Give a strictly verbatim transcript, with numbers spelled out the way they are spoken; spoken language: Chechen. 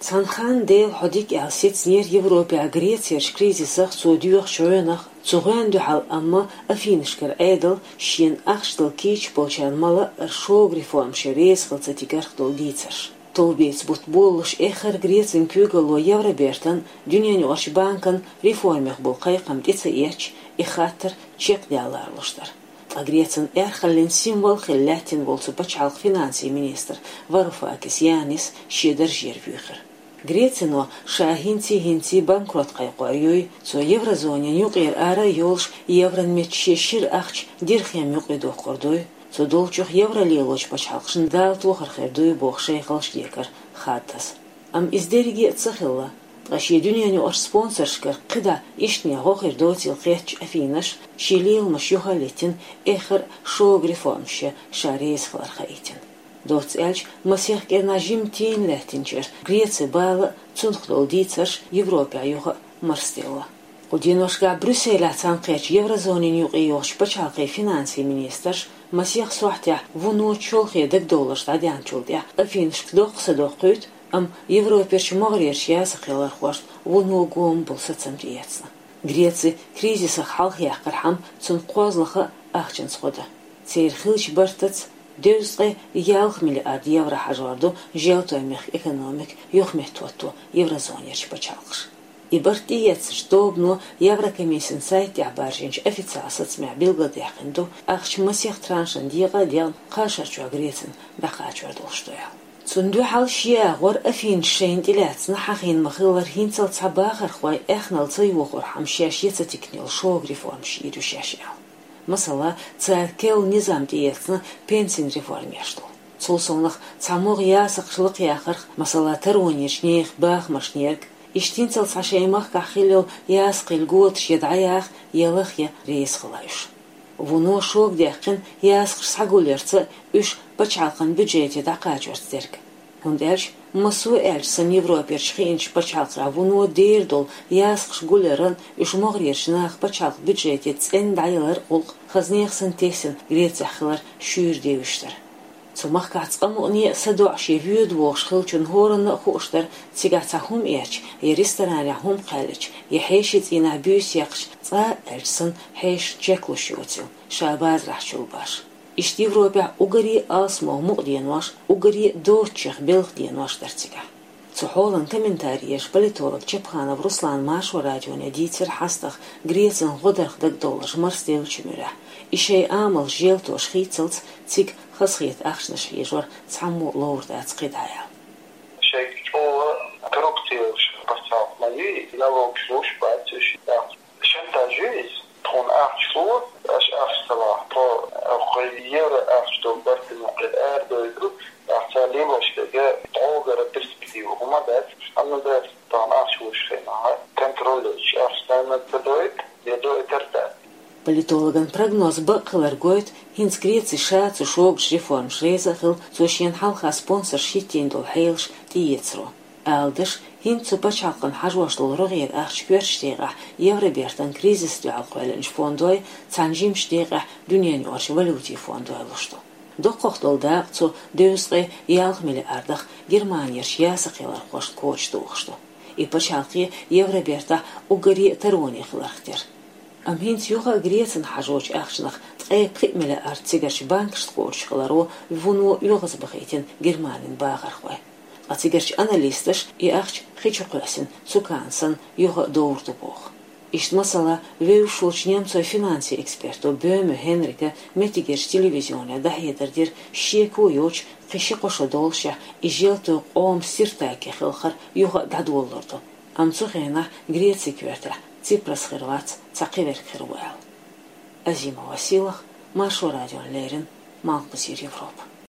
Цхьан ханна Дела хьо дика аьлла сецнера Европехь Грецерчу кризисах цо доьхучу гӀоьнах, цу гӀоьнна дуьхьал амма Афинашкара Ӏедал шена ахча дала кийча болчарна мала шога реформаш ян реза хила ца тигарх долу дийцарш. Товбеца бутт болалуш эххар а Грецин куьйгалло Евробертан, Дуьненаюкъарчу банкан реформех болу кхайкхам тӀе ца эцча, и хаттар чекхдаьлла луш дара. Ткъа Грецин аьрхаллин символ хилла лаьттина волу цу пачхьалкхан финансийн министр Варуфакис Янис шен даржера вуьйхира. Грецино ша хӀинций-хӀинций банкрот кхайкхор юй, цо еврозонин юкъера ара а йолуш, евран метта шен шира ахча дирхем юкъа доккхур дуй, цу долчух евро лелочу пачхьалкхашна Дала тохар хир дуй боху шайхаллаш декар хаддаза. Амма иза дерриге а ца хилла, ткъа шен дуьненаюкъарчу спонсоршкара кхидӀа иштта гӀо хир доцийла хеттачу Афинаш шен леламаш юха а литтина, эххар а шога реформаш ян ша реза хилар хаийтина. Доцца аьлча, масех кӀирнахь жимма тийна лаьттинчара Грецин бала а, цунах долу дийцарш Европехь юха а марсаделла. Кху деношкахь Брюсселехь цхьаьнакхеттачу еврозонин юкъе йолчу пачхьалкхийн финансийн министрша масех сохьтехь вуно чолхе дагадовларш дӀадаьхначул тӀаьхьа Афинашка доккха са доккхуьйту, амма Европерчу могӀарерчу ясакхелхархошна вуно гома болу сацам тӀеэцна. Греци кризисах хьалхаяккхархьама, цунна кхозлагӀа а ахчанца гӀо дан. Церан хиллачу бартаца дезткъе ялх миллиард евро хьажор ду желтойн мехкан экономика юхаметтахӀотто еврозонерчу пачхьалкхаша. И барт тӀеэцначу тобано Еврокомиссин сайта тӀехь баржийначу официалан сацамехь билгалдаьккхина ду, ахча масех траншан декъа а декъна кхаа шарчохь Грецина дӀакхачор долуш ду аьлла. Цунна дуьхьал шен агӀор Афинаш шайна тӀелаьцна хьахийна ма-хиллара хӀинццалц цхьа бахархой аьхналла ца йохорхьама шаьш ян ца тикна йолу шога реформаш йийр ю шаьш аьлла. Масала, цара керла низам тӀеэцна пенсийн реформа еш долу. Цул совнаха цхьа могӀа ясакхаш лакхаяхарх, масала, таронечу нехан бахамашна ерг, иштта хӀинццалц цхьа шайн махкахь хилла йолу ясакхи льготаш я дӀаяха, я лаха ян реза хила уьш. Вуно шога даьккхина ясакхаш схьагулъярца а, уьш пачхьалкхан бюджете дӀакхачорца дерг. ХӀунда аьлча, массо а аьлча санна Европерчу хиъначу пачхьалкхех вуно дера долу ясакхаш гулъяран, уьш могӀарерчу наха пачхьалкхан бюджете цӀена дӀаялар а гӀуллакх хазнех санна тесна Грецехь хилар шуьйра девзаш дара. Цу махкахь цкъа мукъане а садоӀуш я воьду вогӀуш хиллачунна хӀоранна а хууш дара, цигахь цхьа хӀума эцча, я ресторанехь хӀума кхаьллича, я хьеший цӀийнахь буьйса яьккхича, цкъа а аьлча санна хьешашна чек луш йоцийла, ша базарахь чул баш. Иштта Европехь уггаре а алсамох мукъа денош, уггаре а доцучех белхан денош дара цигахь. Цу хьолан комментари еш политолог Чапханов Руслана Маршо радионе дийцира хьастагӀа Грецин гӀодарх дагадовларш марсаделлачу муьрехь, и шайн амалш желтош хийццалц цига хазахета ахчанаш хьежор цхьаммо а ловр дац кхидӀа аьлла. Шайга чӀогӀа коррупци йолуш пачхьалкх ма ю, налогаш луш бац уьш, шантаж ю иза. Тхуна ахча ло, аша ахча ца лахь, тхо, кху евро ахча долу барт юкъе арадойду, ахча лелош дерг дӀогара перспектива хӀума дац, амма дац тхуна ахча луш хенахь, контроль йоцуш ахча ца дойту, я дойтар дац. Политологан прогноз бакъ хилар гойту хӀинца Греци ша цу шогачу реформаша реза а хилла, цо шена хьалха спонсорша хӀиттийна долу хьелаш тӀеэцаро. Ала даш, хӀинца цу пачхьалкхана хьажош долу рогӀера ахча коьртачу декъехь Евробертан кризиса дуьхьал кхоьллинчу фондой, цхьана жимачу декъехь дуьненаюкъарчу валютийн фондой луш ду. Доккхах долу дакъа цу дезткъе ялх миллиардах Германерчу ясакхелхархошна коча тухуш ду. И пачхьалкхе Евробертахь уггаре а тароне хиларх тера. Амма хӀинца юха а Грецина хьажочу ахчанах ткъе пхиъ миллиард цигарчу банкашца кхочуш хиларо вуно оьгӀазбахийтина Германин бахархой. Ткъа цигарчу аналисташа и ахча хи чу кхоьссина цукана санна юха а довр ду боху. Иштта масала, вевзаш волчу немцойн финансийн эксперто Бёме Хенрика меттигерчу телевизионе дӀахьедар дира, шеко йоцуш кхин ши-кхо шо доллушехь, и желтойн къоман сиртаке хилхар юха а дӀадолалур ду. Амма цу хенахь Грецин коьртехь Ципрас хир вац цхьа кхин верг хир ву аьлла. Азимова Силах, Маршо радиона леррина, Малхбузера Европа.